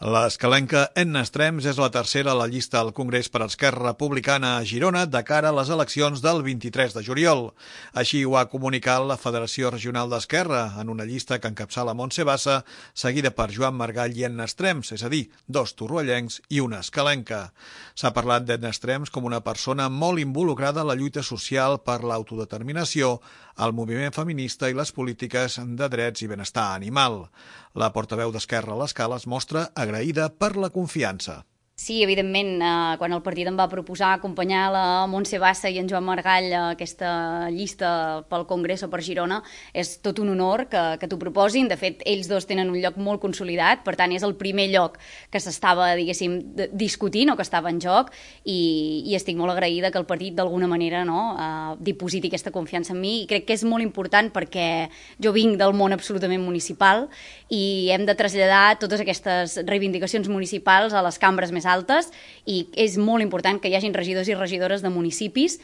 L'escalenca Edna Estrems és la tercera a la llista al Congrés per Esquerra Republicana a Girona de cara a les eleccions del 23 de juliol. Així ho ha comunicat la Federació Regional d'Esquerra en una llista que encapçala Montse Bassa, seguida per Joan Margall i Edna Estrems, és a dir, dos torroellencs i una escalenca. S'ha parlat d'Edna Estrems com una persona molt involucrada a la lluita social per l'autodeterminació, el moviment feminista i les polítiques de drets i benestar animal. La portaveu d'Esquerra a l'Escala es mostra agraïda per la confiança. Sí, evidentment, quan el partit em va proposar acompanyar la Montse Bassa i en Joan Margall a aquesta llista pel Congrés o per Girona, és tot un honor que t'ho proposin. De fet, ells dos tenen un lloc molt consolidat, per tant, és el primer lloc que s'estava, diguéssim, discutint o que estava en joc, i estic molt agraïda que el partit, d'alguna manera, dipositi aquesta confiança en mi, i crec que és molt important perquè jo vinc del món absolutament municipal i hem de traslladar totes aquestes reivindicacions municipals a les cambres més altes, i és molt important que hi hagin regidors i regidores de municipis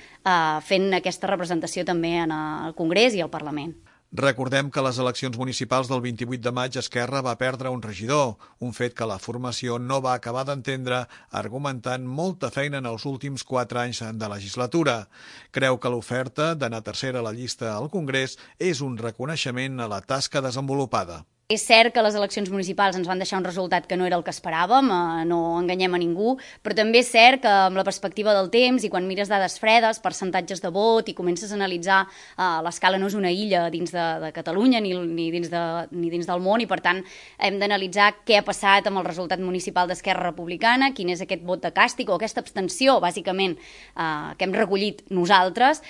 fent aquesta representació també en el Congrés i al Parlament. Recordem que a les eleccions municipals del 28 de maig Esquerra va perdre un regidor, un fet que la formació no va acabar d'entendre, argumentant molta feina en els últims 4 anys de legislatura. Creu que l'oferta d'anar tercera a la llista al Congrés és un reconeixement a la tasca desenvolupada. És cert que les eleccions municipals ens van deixar un resultat que no era el que esperàvem, no enganyem a ningú, però també és cert que amb la perspectiva del temps i quan mires dades fredes, percentatges de vot i comences a analitzar, l'Escala no és una illa dins de Catalunya ni dins del món, i per tant hem d'analitzar què ha passat amb el resultat municipal d'Esquerra Republicana, quin és aquest vot de càstig o aquesta abstenció, bàsicament, que hem recollit nosaltres.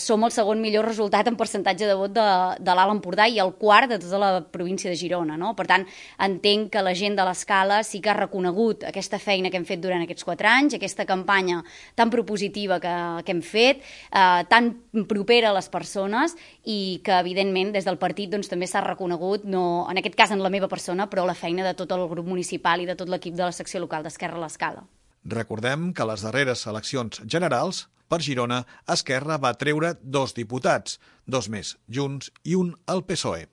Som el segon millor resultat en percentatge de vot de l'Alt Empordà i el quart de tota la província de Girona, no? Per tant, entenc que la gent de l'Escala sí que ha reconegut aquesta feina que hem fet durant aquests 4 anys, aquesta campanya tan propositiva que hem fet, tan propera a les persones, i que, evidentment, des del partit també s'ha reconegut, no, en aquest cas en la meva persona, però la feina de tot el grup municipal i de tot l'equip de la secció local d'Esquerra a l'Escala. Recordem que a les darreres eleccions generals, per Girona, Esquerra va treure 2 diputats, 2 més Junts i un al PSOE.